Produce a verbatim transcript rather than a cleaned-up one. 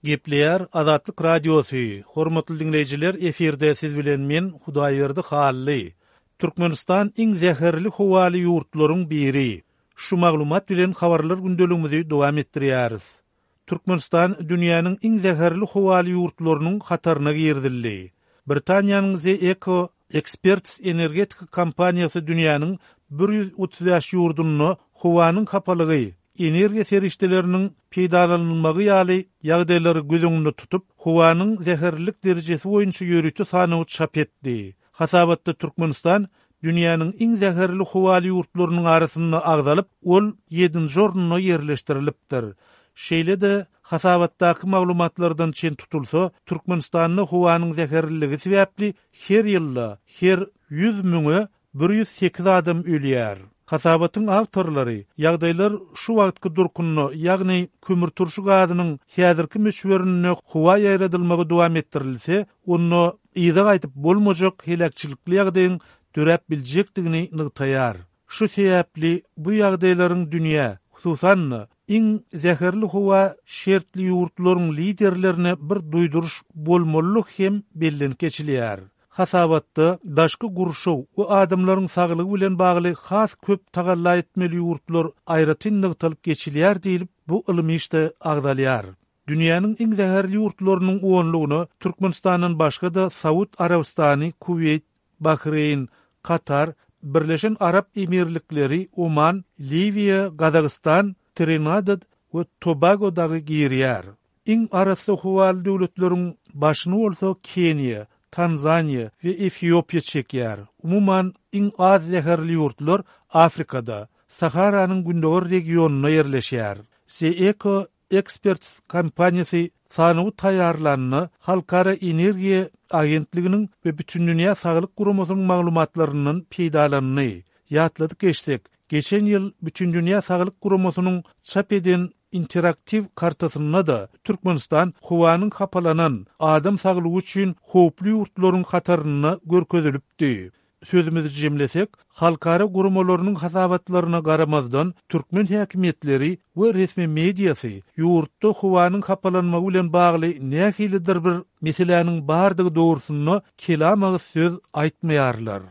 Gepleýär Azatlyk Radiosy. Hormatly diňleýjiler, efirde siz bilen men Hudaýberdi Hally. Türkmenistan iň zäherli howaly ýurtlaryň biri. Şu maglumat bilen habarlar gündeligimizi dowam etdirýäris. Türkmenistan dünýäniň iň zäherli howaly ýurtlarynyň hataryna girizildi. Britaniýanyň The Eco Experts energetika kompaniýasy dünýäniň bir ýüz otuz bäş ýurdunda howanyň hapalygy, energiýa serişdeleriniň peýdalanylmagy ýaly ýagdaýlary göz öňünde tutup, howanyň zäherlilik derejesi boýunça ýörite sanawy çap etdi. Hasabatda Türkmenistan dünýäniň iň zäherli howaly ýurtlarynyň arasynda agzalyp, ol ýedinji orunda ýerleşdirilipdir. Şeýle-de, hasabatdaky maglumatlardan çen tutulsa, Türkmenistanda howanyň zäherliligi sebäpli her ýylda her ýüz müňe bir ýüz sekiz adam ölýär. Hasabatyň awtorlary ýagdaýlar şu wagtky durkunda, ýagny kömürturşy gazynyň häzirki möçberinde howa ýaýradylmagy dowam etdirilse, onda yza gaýdyp bolmajak heläkçilikli ýagdaýyň döräp biljekdigini nygtaýar. Şu sebäpli bu ýagdaýlaryň dünýä, hususan-da, iň zäherli howa şertli ýurtlaryň liderlerine bir duýduryş bolmalylygy hem bellenip geçilýär. Hasabatda daşky gurşaw we adamlaryň saglygy bilen bagly has köp tagalla etmeli ýurtlar aýratyn nygtalyp geçilýär diýlip, bu ylmy işde agzalýar. Dünýäniň iň zäherli ýurtlarynyň onlugyna Türkmenistandan başga-da Saud Arabystany, Kuweýt, Bahreýn, Katar, Birleşen Arap Emirlikleri, Oman, Liwiýa, Gazagystan, Trinidad we Tobago dagy girýär. Iň arassa howaly döwletleriň başyny bolsa Keniýa, Tanzaniýa we Efiopiýa çekýär. Umuman, iň az zäherli ýurtlar Afrikada, Saharanyň gündogar regionynda ýerleşýär. The Eco Experts kompaniýasy sanawy taýýarlanda Halkara energiýa agentliginiň we Bütindünýä saglyk guramasynyň maglumatlaryndan peýdalandy. Ýatladyp geçsek, geçen ýyl Bütindünýä saglyk guramasynyň çap eden interaktiw kartasynda-da Türkmenistan howanyň hapalanan, adam saglygy üçin howply ýurtlaryň hatarynda görkezilipdi. Sözümizi jemlesek, halkara guramalarynyň hasabatlaryna garamazdan, türkmen häkimiýetleri we resmi mediasy ýurtda howanyň hapalanmagy bilen bagly nähilidir bir meseläniň bardygy dogrusynda kelam agyz söz aýtmaýarlar.